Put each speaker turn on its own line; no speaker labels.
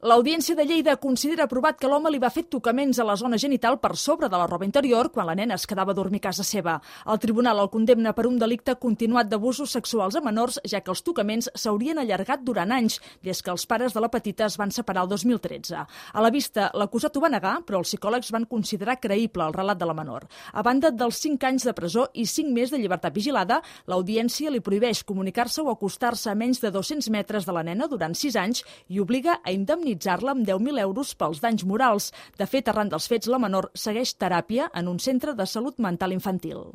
L'Audiència de Lleida considera aprovat que l'home li va fer tocaments a la zona genital per sobre de la roba interior quan la nena es quedava a dormir a casa seva. El tribunal el condemna per un delicte continuat d'abusos sexuals a menors, ja que els tocaments s'haurien allargat durant anys, des que els pares de la petita es van separar el 2013. A la vista, l'acusat ho va negar, però els psicòlegs van considerar creïble el relat de la menor. A banda dels 5 anys de presó i 5 més de llibertat vigilada, l'Audiència li prohibeix comunicar-se o acostar-se a menys de 200 metres de la nena durant 6 anys i obliga a indemnitzar-la amb 10.000 euros pels danys morals. De fet, arran dels fets, la menor segueix teràpia en un centre de salut mental infantil.